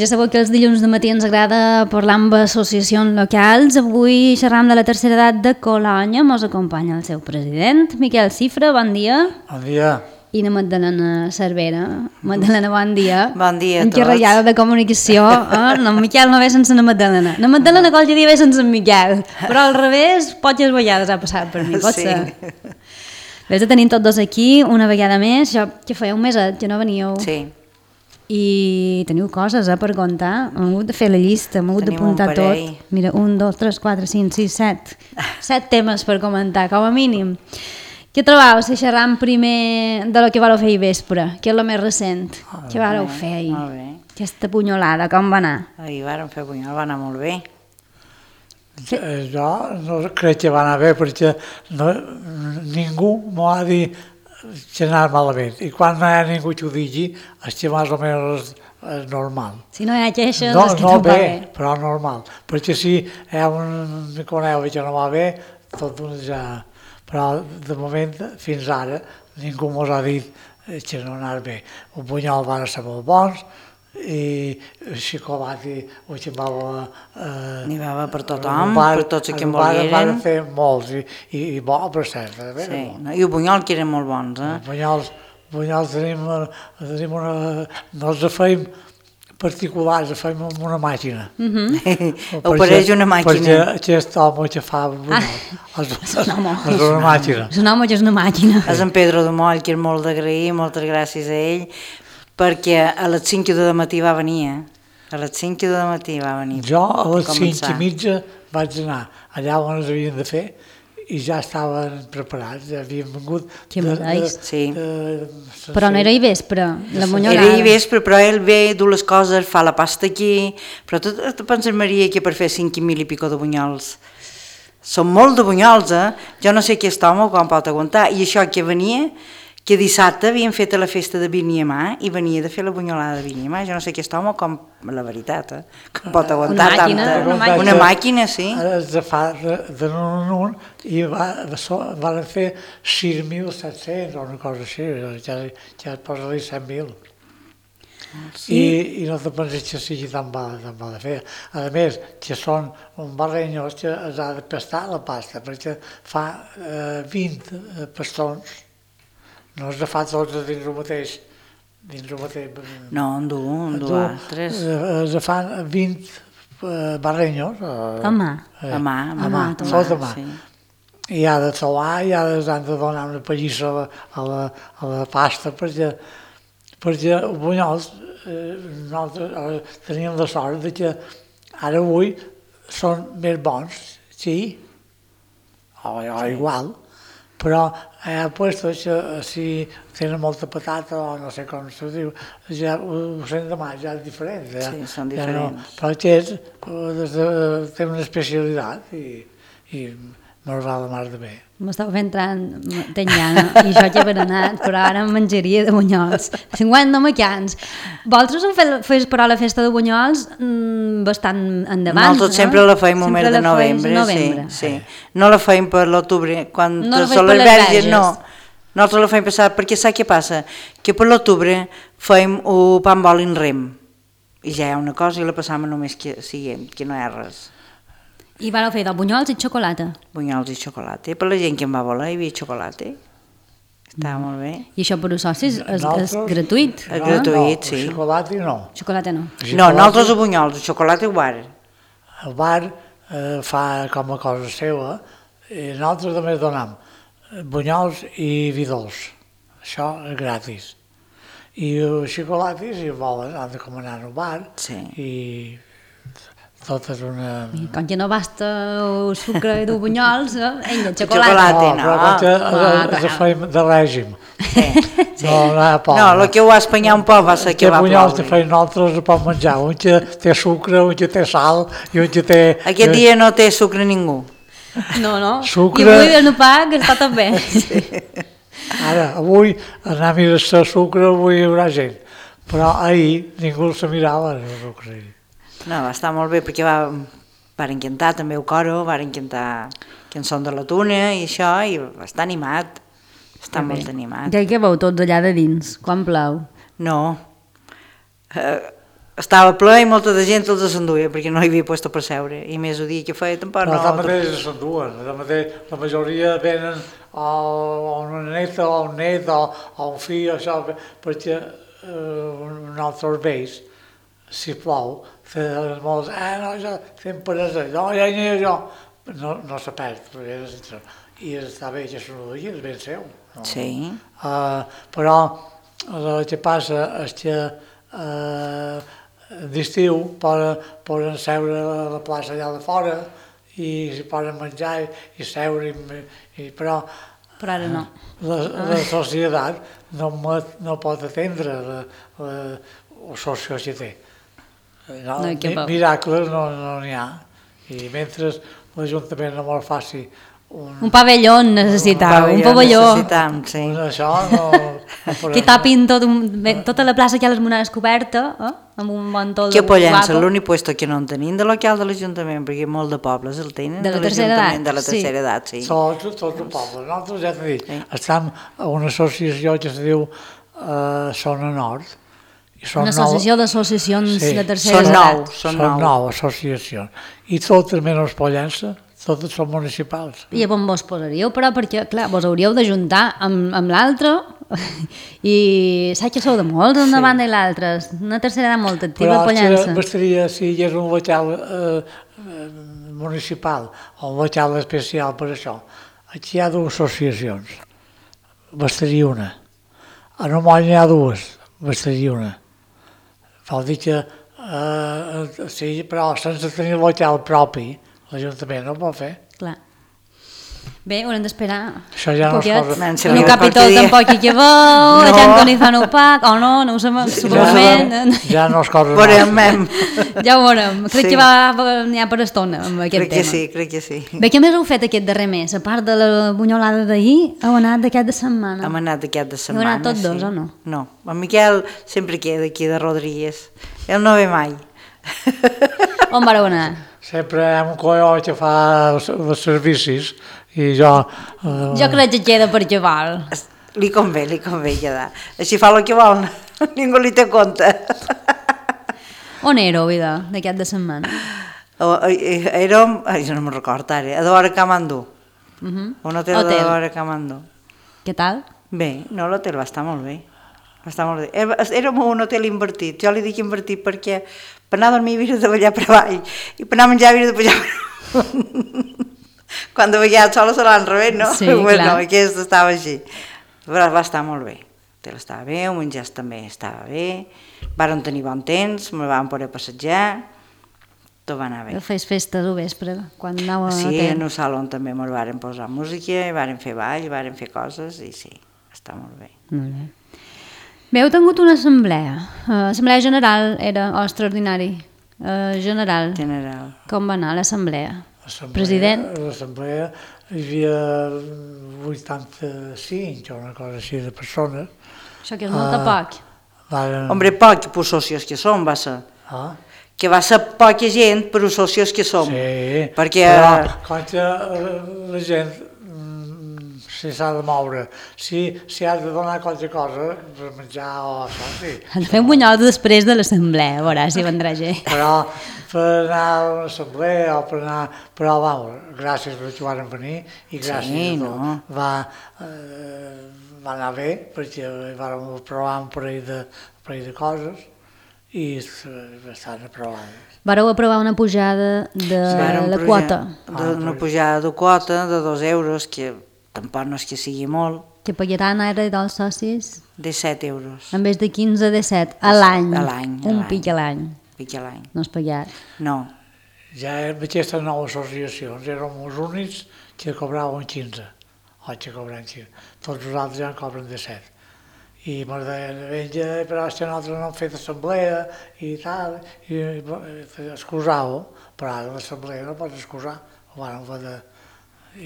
Ja sabeu que els dilluns de matí ens agrada parlar amb associacions locals. Avui xerram de la tercera edat de Colònia. Mos acompanya el seu president, Miquel Cifra. Bon dia. Bon dia. I la Magdalena Cervera. Magdalena, bon dia. Bon dia a tots. Encarregada de comunicació. No, Miquel no ve sense la Magdalena. La Magdalena qualque dia ve sense en Miquel. Però al revés, poques vegades ha passat per mi, pot ser. Ves de tenir tots dos aquí una vegada més. Que feia un meset que no veníeu. Sí. I teniu coses per contar. Hem hagut de fer la llista, hem hagut d'apuntar tot. Mira, 1, 2, 3, 4, 5, 6, 7. 7 temes per comentar, com a mínim. Què trobeu si xerram primer de lo que vareu fer ahir vespre, que és el més recent? Què vareu fer ahir? Molt bé. Aquesta punyolada, com va anar? Ahir vàrem fer punyol, va anar molt bé. Jo no crec que va anar bé perquè ningú m'ho ha dit que anar malament. I quan no hi ha ningú que ho digui, és que més o menys és normal. Si no hi ha queixes, no, és que no no va bé. Però normal. Perquè si hi ha un coneu que no va bé, tot ja... Però de moment, fins ara, ningú mos ha dit que no anar bé. Un bunyol van ser molt bons, i xocolata ho ximbava... N'hi va per tothom, per tots els que en volgueren. Van fer molts, i bo, per cert. Sí, i el bunyol que eren molt bons, Els bunyols tenim una... No els feim particulars, els feim amb una màquina. Opereix una màquina. Perquè aquest home que fa bunyol és una màquina. És un home que és una màquina. És en Pedro de Moll, que és molt d'agrair, moltes gràcies a ell, perquè a les 5 de matí va venir, A les 5 de matí va venir. Jo a les 5:30 vaig anar allà on els havien de fer i ja estaven preparats, ja havien vengut... Que m'agraeix. Sí. Però no era ahir vespre, la munyolada. Era ahir vespre, però ell ve, du les coses, fa la pasta aquí, però tu penses, Maria, que per fer 5.000 i pico de bunyols són molt de bunyols, Jo no sé aquest home com pot aguantar. I això que venia, que dissabte havien fet la festa de Vinyamà i venia de fer la bunyolada de Vinyamà. Jo no sé aquest home com, la veritat, com pot aguantar tanta... Una màquina, sí. Ara es fa de un en un i van fer 6.700 o una cosa així, ja et posa-li 100.000. I no te penses que sigui tan mal de fer. A més, que són un barrenyós que es ha de pestar la pasta, perquè fa 20 pastons, no es fa tots dins el mateix. No, en du altres. Es fan 20 barrenyos. A mà. A mà. Tot a mà. I ha de solar, i han de donar una pallissa a la pasta, perquè els bunyols nosaltres teníem la sort que ara avui són més bons, sí, o igual, però hi ha puestos que si tenen molta patata o no sé com s'ho diu, ja ho sent demà, ja és diferent. Sí, són diferents. Però aquest té una especialitat i me'l va de mar de bé. M'estava fent tenyana i jo ja he berenat, però ara em menjaria de bunyols. 50 macans. Vosaltres heu fet però la festa de bunyols bastant endavant, Nosaltres sempre la feim al mes de novembre. Sí. No la feim per l'octubre, quan són les verges, no. Nosaltres la feim passar, perquè saps què passa? Que per l'octubre feim un pa amb oli en rem, i ja hi ha una cosa i la passam només que no hi ha res. I vareu fer de bunyols i xocolata. Bunyols i xocolata. Per la gent que em va voler hi havia xocolata. Estava molt bé. I això per als socis és gratuït? És gratuït, sí. Xocolata no. Xocolata no. No, nosaltres a bunyols, el xocolata al bar. El bar fa com a cosa seva, i nosaltres també donem bunyols i vi dolç. Això és gratis. I xocolata, si volen, han de comanar al bar i... Tot és una... Com que no basta el sucre i dur bunyols, ell de xocolata. No, però com que es feim de règim. No hi ha por. No, el que ho va espanyar un poc va ser que va ploure. Els bunyols que feim nosaltres es pot menjar. Un que té sucre, un que té sal i un que té... Aquest dia no té sucre ningú. No. Sucre... I avui el pa que està tot bé. Ara, avui anar a mirar sucre, avui hi haurà gent. Però ahir ningú se mirava el sucre. No, va estar molt bé perquè varen cantar també el coro, varen cantar cançons de la tuna i això, i va estar animat, està molt animat. Ja hi veu tots allà de dins, quan plou? No, estava ple i molta de gent els s'enduia perquè no hi havia lloc per seure, i més el dia que feia tampoc no. Però mateix s'enduen, la majoria venen o una neta o un net o un fill, això, perquè un altre vells, si plou, feien molts, no, ja fem per això, no, ja n'hi ha jo, no se perd, i està bé que s'enduia, és ben seu. No? sí. Però el que passa és que d'estiu poden seure a la plaça allà de fora i s'hi poden menjar i seure, però ara no. La societat no pot atendre la socio que té. Miracles no n'hi ha, i mentre l'Ajuntament no me'l faci un pavelló necessitava, un pavelló. Sí. Això no que tapin tota la plaça que hi ha les monades coberta, amb un mantol que Pollença, l'únic lloc que no en tenim de local de l'Ajuntament, perquè molt de pobles el tenen de la tercera edat. De la tercera edat, sí. Tot el poble. Nosaltres, ja t'he dit, estem a una associació que es diu Zona Nord. Una associació d'associacions de tercera edat. Són 9 associacions. I totes menys Pollença, totes són municipals. I on vos posaríeu, però, perquè, clar, vos hauríeu d'ajuntar amb l'altre i saps que sou de molts, una banda i l'altra, una tercera edat molt activa a Pollença. Però bastaria, si hi hagués un local municipal o un local especial per això, aquí hi ha 2 associacions, bastaria una. A Nomoll n'hi ha 2, bastaria una. Vol dir que, sí, però sense tenir local propi, l'Ajuntament no ho pot fer. Clar. Bé, haurem d'esperar això ja un poquet. No el Capitol tampoc hi que veu, la gent que no hi fan opac, o no ho sabem, segurament. Ja no es cosa veurem. Ja ho veurem. Crec que n'hi ha per estona amb aquest tema. Crec que sí. Bé, què més heu fet aquest darrer mes? A part de la bunyolada d'ahir, heu anat d'aquest de setmana? Hem anat d'aquest de setmana, heu anat tots dos, o no? No, en Miquel sempre queda aquí de Rodríguez. Ell no ve mai. On vareu anar? Sempre hi ha un colló que fa els servicis i jo... Jo crec que queda per què val. Li convé quedar. Així fa el que vol, ningú li té compte. On éreu, vida, d'aquest de setmana? Érem, jo no me'n recordo ara, a Dora Camandú. Un hotel de Dora Camandú. Què tal? Bé, no, l'hotel va estar molt bé. Érem un hotel invertit, jo li dic invertit perquè per anar a dormir havia de ballar per avall i per anar a menjar havia de pujar per amunt. Quan de ballar sola se l'han revés, no? Sí, bueno, aquest estava així. Però va estar molt bé, l'hotel estava bé, el menjar també estava bé, vàrem tenir bon temps, me vam poder passejar, tot va anar bé. Fes festes al vespre, quan anàveu a sí, l'hotel. en el saló també ens varen posar música, varen fer ball, varen fer coses i sí, està molt bé. Molt bé. Bé, heu tingut una assemblea. Assemblea general era o extraordinari? General. Com va anar l'assemblea? President? L'assemblea hi havia 85 o una cosa així de persones. Això que és molt poc. Hombre, poc per socios que som, va ser. Que va ser poca gent per els socios que som. Sí, perquè... però quan la gent si s'ha de moure, si ha de donar qualque cosa per menjar o això, sí. Han de fer un bunyol després de l'assemblea, a veure si vendrà gent. Però per anar a una assemblea o per anar... Però, gràcies per que van venir i gràcies a tot. Va anar bé, perquè vam provar un parell de coses i estan aprovades. Vareu aprovar una pujada de la quota. Una pujada de quota de 2 euros, que tampoc no és que sigui molt. Que pagaran ara dels socis? 17 euros. En vez de 15, 17, a l'any. Un pic a l'any. No és pagat. No. Ja amb aquestes 9 associacions érem els únics que cobraven 15. O que cobraven 15. Tots els altres ja en cobren 17. I m'agradaria, però és que nosaltres no hem fet assemblea i tal, i excusàveu, però ara l'assemblea no pots excusar.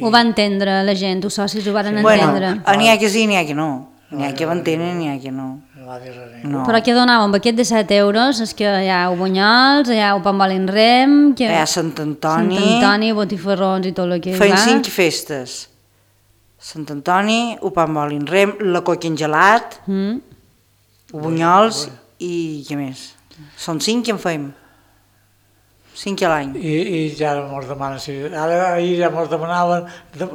Ho va entendre la gent, els socis ho van entendre. N'hi ha que sí, n'hi ha que no. N'hi ha que ho entenen, n'hi ha que no. Però què donàvem? Amb aquest de 7 euros és que hi ha bunyols, hi ha pambolin rem... Hi ha Sant Antoni... Sant Antoni, botifarrons i tot el que hi va. Feien 5 festes. Sant Antoni, pambolin rem, la coca en gelat, bunyols i què més? Són 5 que en fem. 5 a l'any. I ja mos demanen, ara ahir ja mos demanaven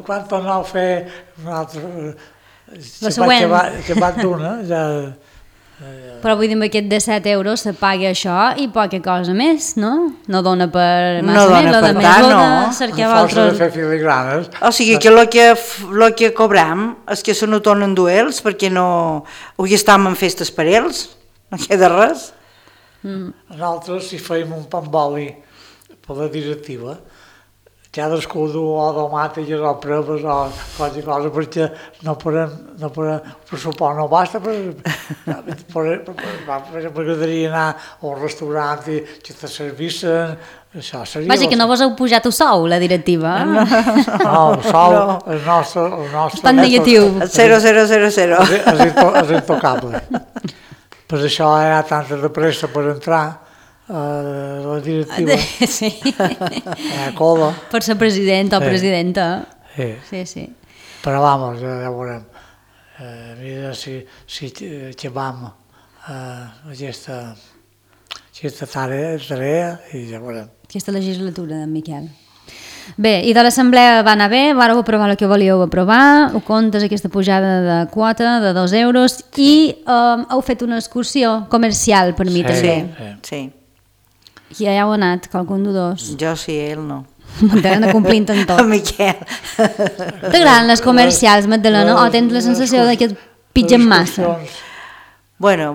quan tornau a fer un altre... La següent. Que va d'una, ja... Però vull dir, amb aquest de 7 euros se paga això i poca cosa més, no? No dona per massa més, no dona per tant, no. A força de fer filigranes. O sigui que el que cobram és que se no tornen duels perquè no... Avui estàvem en festes per ells, no queda res. Nosaltres, si feim un pa amb oli per la directiva, cadascú du o tomàtiques o proves o qualsevol cosa perquè no podem, per suport no basta m'agradaria anar a un restaurant i que te servissen, això seria... Vaja, que no vos heu pujat el sou, la directiva. No, el sou, el nostre... Està negatiu. El 0,000. És intocable. Per això hi ha tanta de pressa per entrar la directiva. Sí. La cola. Per ser president o presidenta. Sí. Però vamos, ja veurem. Mira si acabam aquesta tarea i ja veurem. Aquesta legislatura, Miquel. Bé, i de l'assemblea va anar bé, vareu aprovar el que volíeu aprovar, ho comptes aquesta pujada de quota de 2 euros i heu fet una excursió comercial per mi també. Sí. I ja heu anat, qualcun de dos. Jo sí, ell no. Magdalena complint en tot. Miquel. T'agraden les comercials, Magdalena, o tens la sensació que et pitgen massa? Bueno,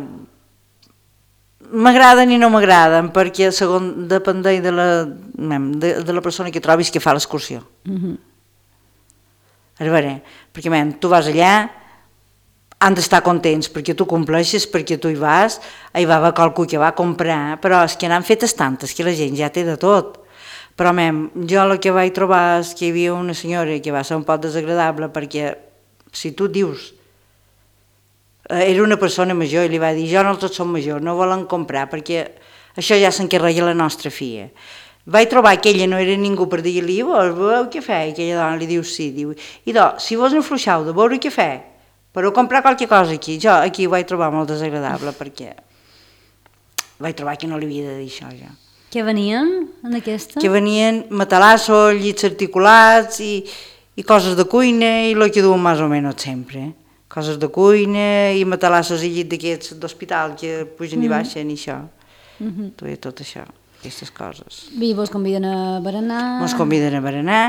m'agraden i no m'agraden, perquè segons dependeix de la persona que trobis que fa l'excursió. A veure, perquè tu vas allà, han d'estar contents perquè tu compleixes, perquè tu hi vas, hi va haver qualcú que va comprar, però és que n'han fetes tantes que la gent ja té de tot. Però jo el que vaig trobar és que hi havia una senyora que va ser un poc desagradable perquè si tu dius era una persona major i li va dir jo no tots som majors, no volen comprar perquè això ja s'encarrega la nostra filla. Vaig trobar que ella no era ningú per dir-li veu què fa? I aquella dona li diu sí, diu, si vos enfluixeu de veure què fa, però comprar qualque cosa aquí, jo aquí ho vaig trobar molt desagradable perquè vaig trobar que no li havia de dir això ja. Què venien en aquesta? Que venien matalassos, llits articulats i coses de cuina i el que duen més o menys sempre. Coses de cuina i matalassos i llit d'aquests d'hospital que pugen i baixen i això. Tot això, aquestes coses. I vos conviden a berenar? Mos conviden a berenar,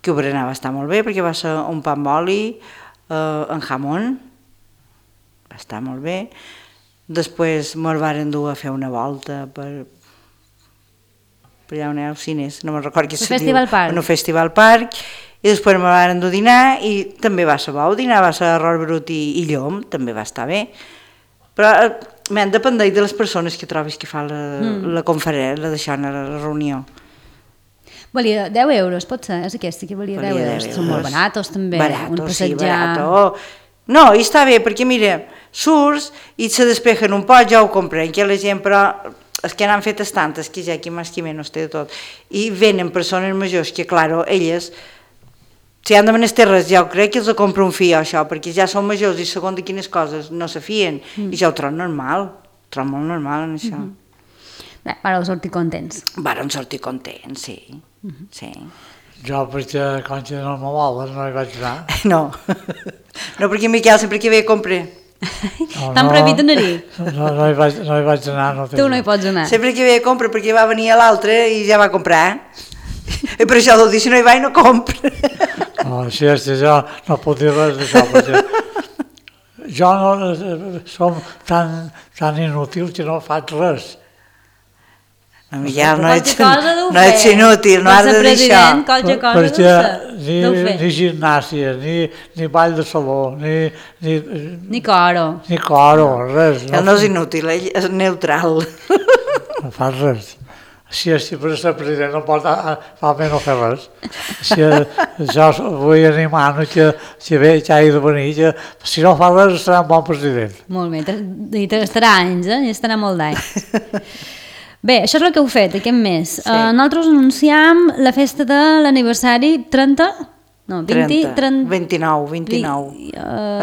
que el berenar va estar molt bé perquè va ser un pa amb oli, en jamón, va estar molt bé. Després mos varen dur a fer una volta per allà on hi ha els cines, no me'n recordo què se diu. En un festival park, i després me varen dur a dinar i també va ser bo, el dinar va ser arròs brut i llom, també va estar bé. Però dependeix de les persones que trobis que fa la conferència, la reunió. Valia 10 euros, pot ser? És aquesta que valia 10 euros. Són molt baratos també. Baratos, sí, barato. No, i està bé, perquè mira, surts i se despejen un poc, ja ho compren, que la gent, però és que n'han fetes tantes, que ja qui més qui menys té de tot. I venen persones majors que, clar, elles, si han de menester res, ja ho crec que els compra un fill, això, perquè ja són majors i segons de quines coses no se fien, i ja ho trobo normal, molt normal en això. Bé, vareu sortir contents. Varen sortir contents, sí. Sí. Jo, perquè quan no me volen, no hi vaig anar. No, perquè Miquel sempre que ve compra. T'han prohibit anar-hi? No hi vaig anar. Tu no hi pots anar. Sempre que ve compra, perquè va venir a l'altre i ja va comprar. I per això deu dir, si no hi va i no compra. No, si és que jo no puc dir res d'això, perquè jo no som tan inútil que no faig res. No, Miquel, no ets inútil, no has de dir això. Perquè ni gimnàsia, ni ball de saló, ni coro. Ni coro, res. Ell no és inútil, ell és neutral. No fa res. Si per ser president no pot no fer res. Jo vull animar que hagi de venir, que si no fa res serà un bon president. Molt bé, i estarà anys, i estarà molt d'anys. Bé, això és el que heu fet aquest mes. Sí. Nosaltres anunciam la festa de l'aniversari 30? No, 29. En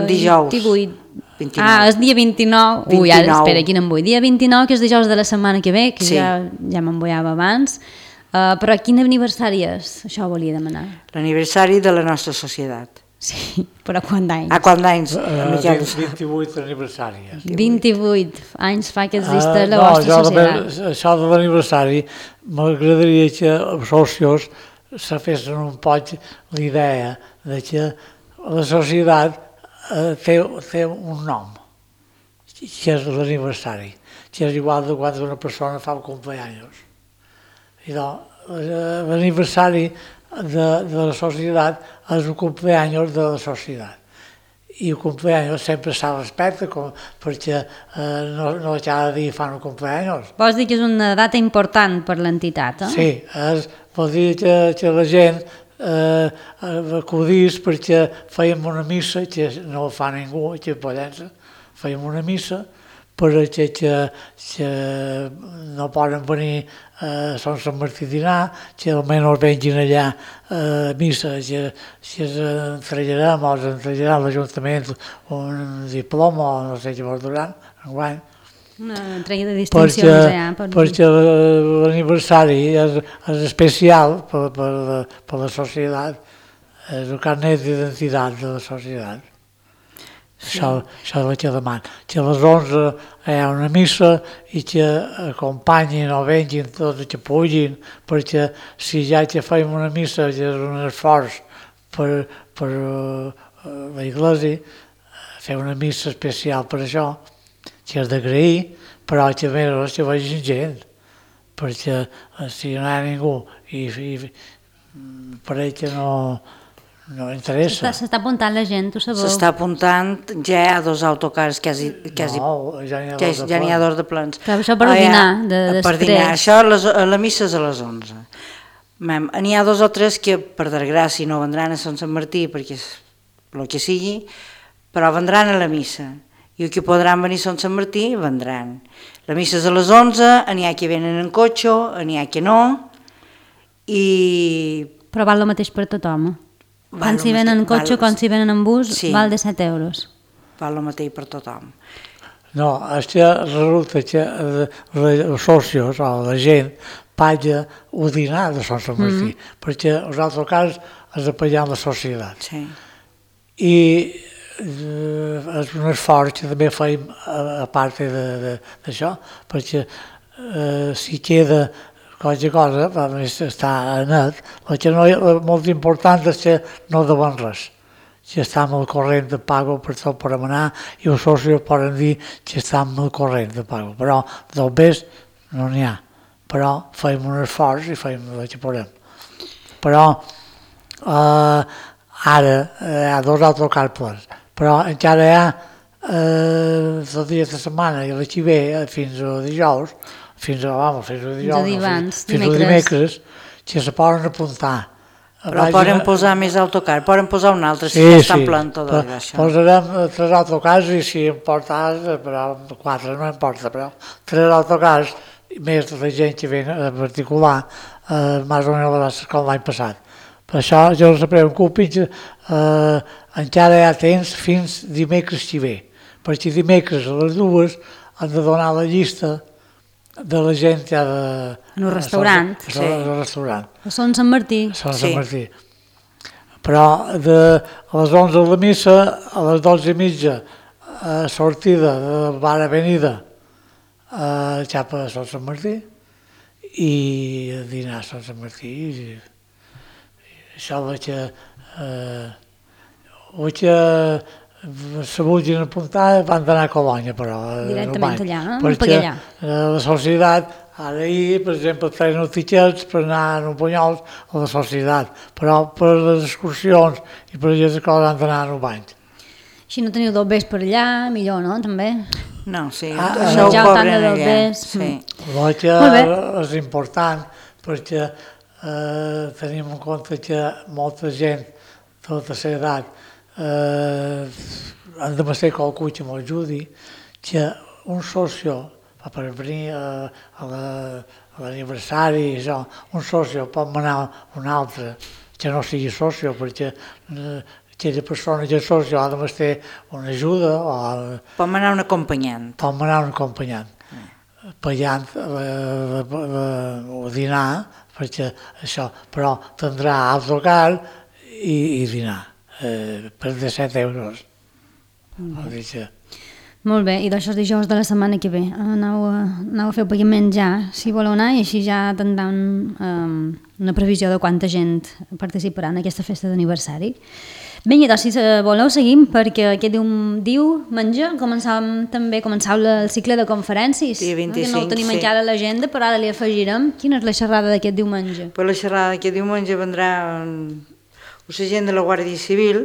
dijous. 28. 29. Ah, és dia 29. Ui, ara, espera, quin em vull. Dia 29, que és dijous de la setmana que ve, que Sí. ja m'emboiava abans. Però quin aniversari és? Això ho volia demanar. L'aniversari de la nostra societat. Sí, però quant d'anys? A quant d'anys? 28 aniversari. 28 anys fa que existeix la vostra societat. Això de l'aniversari, m'agradaria que els socios se fessin un poc l'idea de que la societat té un nom, que és l'aniversari, que és igual de quan una persona fa un cumpleaños. I doncs, l'aniversari de la societat és el cumpleaños de la societat. I el cumpleaños sempre s'ha respecte, perquè no cada dia fan un cumpleaños. Vols dir que és una data important per l'entitat, eh? Sí, vol dir que la gent acudís perquè fèiem una missa, que no ho fa ningú aquí a Pollença, fèiem una missa perquè que no poden venir a Sant Martí a dinar, que almenys vengin allà a missa, que ens entregarem o ens entregarà l'Ajuntament un diploma o no sé què vol durar, enguany. Una entrega de distincions allà. Perquè l'aniversari és especial per la societat, és el carnet d'identitat de la societat. Sí. Això és el que demano, que a les 11 hi ha una missa i que acompanyin o vengin tots els que puguin, perquè si ja que fem una missa que és un esforç per la Iglesia, fer una missa especial per això, que és d'agrair, però que a més que vegin gent, perquè si no hi ha ningú i per ell que no interessa. S'està apuntant la gent, ho sabeu? S'està apuntant, ja hi ha 2 autocars, No, ja n'hi ha 2 de plans. Però això per dinar, després. Per dinar, això la missa és a les 11. N'hi ha 2 o 3 que per desgràcia no vendran a Sant Martí perquè és el que sigui, però vendran a la missa. I els que podran venir a Sant Martí vendran. La missa és a les 11, n'hi ha que venen en cotxe, n'hi ha que no, i... Però val el mateix per tothom. Quan s'hi venen en cotxe, quan s'hi venen en bus, val de 7 euros. Val el mateix per tothom. No, és que resulta que els socios o la gent paga el dinar de Sant Martí, perquè els altres cas és de pagar la societat. Sí. I és un esforç que també feim a part d'això, perquè si queda qualque cosa, està net, el que no és molt important és que no deuen res, que estem al corrent de pago per tot per anar i els socis poden dir que estem al corrent de pago, però del best no n'hi ha, però fem un esforç i fem el que podem. Però ara hi ha 2 autocars plens, però encara hi ha els dies de setmana i la que ve fins a dijous, fins a dimecres, que se poden apuntar. Però poden posar més autocar, poden posar un altre, si ja està plen tot això. Posarem 3 autocars i si em portes, però 4 no em porta, però 3 autocars, més de la gent que ve en particular, més o menys com l'any passat. Per això jo no se preocupin, encara hi ha temps fins dimecres que ve, perquè dimecres a les 2 han de donar la llista de la gent que ha de... En un restaurant. Sí. En un restaurant. A Sant Martí. Sant Martí. Però a les 11 de la missa, a les 12:30, sortida de bar Avenida cap a Sant Martí i dinar a Sant Martí. Això que se vulguin apuntar van d'anar a Colònia, però directament allà, no? Perquè la societat, ara ahir, per exemple, feien els tiquets per anar a Bunyols a la societat, però per les excursions i per aquestes coses han d'anar a un bany. Si no teniu dobbers per allà, millor, no? També. No, sí, això ho cobren allà. Sí. El que és important, perquè tenim en compte que molta gent de la tercera edat han de ser qualcú que m'ajudi, que un socio, per venir a l'aniversari, un socio pot manar un altre que no sigui socio, perquè aquella persona que sos, jo només té una ajuda o... Pot anar un acompanyant. Pot anar un acompanyant. Pagant o dinar, perquè això, però tindrà autocar i dinar per 17 euros. Molt bé, i d'això és dijous de la setmana que ve. Aneu a fer el pagament ja, si voleu anar, i així ja tindran una previsió de quanta gent participarà en aquesta festa d'aniversari. Vinga, doncs, si voleu, seguim, perquè aquest diumenge començau el cicle de conferències. Dia 25, que no ho tenim encara a l'agenda, però ara li afegirem. Quina és la xerrada d'aquest diumenge? Per la xerrada d'aquest diumenge vendrà una gent de la Guàrdia Civil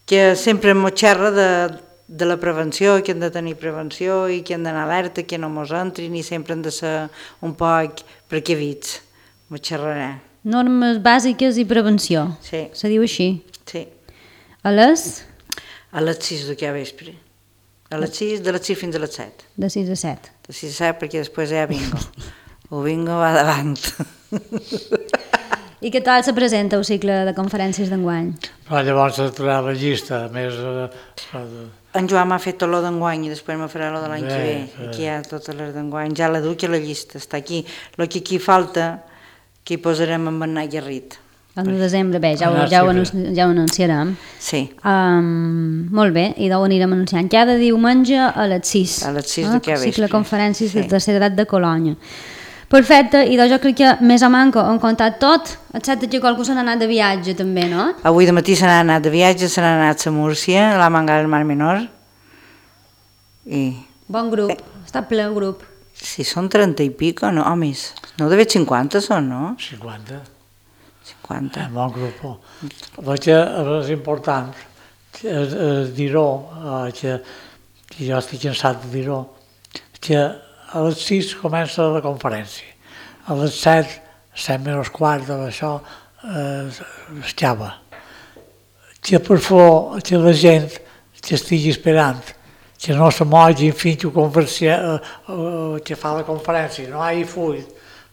que sempre ens xerra de la prevenció, que hem de tenir prevenció i que hem d'anar alerta, que no mos entrin i sempre hem de ser un poc precavits. M'ho xerrarà. Normes bàsiques i prevenció. Sí. Se diu així? Sí. A les? A les 6 d'aquí a vespre. A les 6, de les 6 fins a les 7. De 6 a 7. De 6 a 7 perquè després hi ha bingo. El bingo va davant. I què tal se presenta el cicle de conferències d'enguany? Però llavors s'ha trobat la llista, més... En Joan m'ha fet tot lo d'enguany i després me farà lo de l'any que ve. Aquí hi ha totes les d'enguany. Ja la duc a la llista, està aquí. El que aquí falta, que hi posarem en Bernat Garrit. El 1 de desembre, bé, ja ho anunciarem. Sí. Molt bé, i d'on anirem anunciant. Cada diumenge a les 6. A les 6 d'aquí a vespre. Cicle de conferències de tercera edat de Colònia. Perfecte, i doncs jo crec que més o manco hem contat tot, excepte que qualcú se n'ha anat de viatge també, no? Avui de matí se n'ha anat de viatge, se n'ha anat a Múrcia, a la Manga del Mar Menor. Bon grup, està ple el grup. Sí, són 30 i pico, no? O més. No deu 50 són, no? 50. 50. Bon grup. Perquè és important dir-ho, que jo estic cansat de dir-ho, que a les 6 comença la conferència. A les 7, 7 menys quart d'això, escava. Que per favor, que la gent que estigui esperant, que no se mogui fins que fa la conferència, no hi ha full,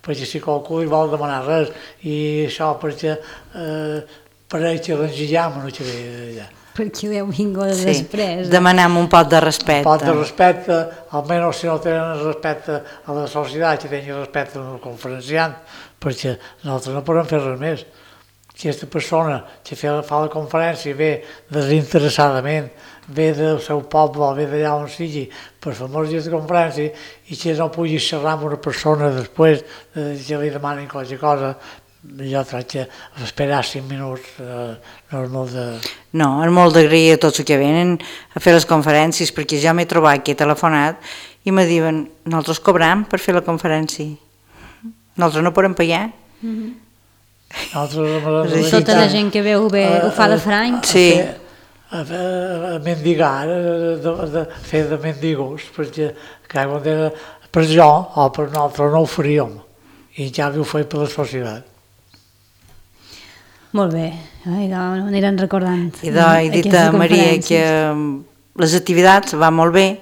perquè si qualcú li vol demanar res, i això perquè pareix que l'engillem no que ve allà. Perquè deu vingut després. Demanem un pot de respecte. Un pot de respecte, almenys si no tenen respecte a la societat, que tinguin respecte al conferenciant, perquè nosaltres no podem fer res més. Aquesta persona que fa la conferència ve desinteressadament, ve del seu poble, ve d'allà on sigui, per fer molts dies de conferència, i que no pugui xerrar amb una persona després que li demanin qualsevol cosa, jo crec que esperar 5 minuts no és molt de... No, és molt d'agrair a tots els que venen a fer les conferències, perquè ja m'he trobat que he telefonat i me diuen, nosaltres cobram per fer la conferència. Nosaltres no podem pagar. Tota la gent que veu bé ho fa de franc. Sí. A mendigar, fer de mendigos, perquè per jo o per nosaltres no ho faríem, i ja ho feia per la societat. Molt bé, anirem recordant. I he dit a Maria que les activitats van molt bé,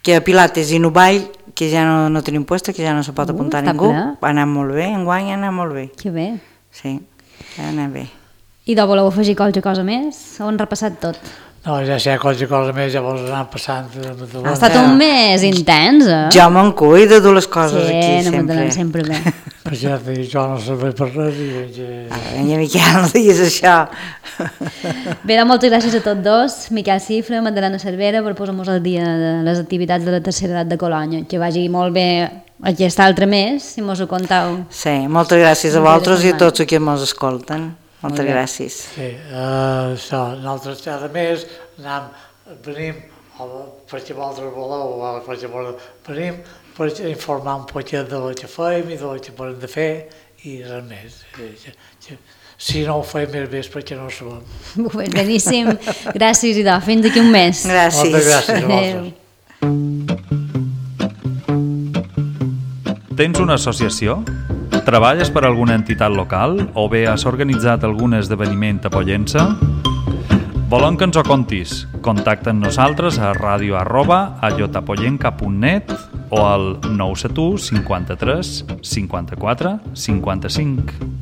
que Pilates i Nuball, que ja no tenim puesta, que ja no se pot apuntar ningú, va anar molt bé, enguany ha anat molt bé. Que bé. Sí, ha anat bé. I de voleu afegir qualsevol cosa més? Ho han repassat tot? No, ja si hi ha qualsevol cosa més, llavors anar passant... Ha estat un mes intens, eh? Jo me'n cuido de les coses aquí, sempre. Sí, no m'entenen sempre bé. Però ja et dic, jo no sé per res i veig... Vinga, Miquel, no diguis això. Bé, doncs moltes gràcies a tots dos, Miquel Cifra, Magdalena Cervera, per posar-nos al dia de les activitats de la tercera edat de Colònia. Que vagi molt bé aquest altre mes, si mos ho contau. Sí, moltes gràcies a vosaltres i a tots els que mos escolten. Moltes gràcies. Sí, això, nosaltres cada mes venim, perquè vosaltres voleu, perquè venim per informar un poquet de lo que fem i de lo que podem de fer i res més. Si no ho fem més bé és perquè no ho sabem. Beníssim, gràcies i fins d'aquí un mes. Gràcies. Moltes gràcies a vosaltres. Tens una associació? Treballes per alguna entitat local o bé has organitzat algun esdeveniment a Pollença? Volem que ens ho contis. Contacta amb nosaltres a radio@ayotapollenca.net o al 971 53 54 55.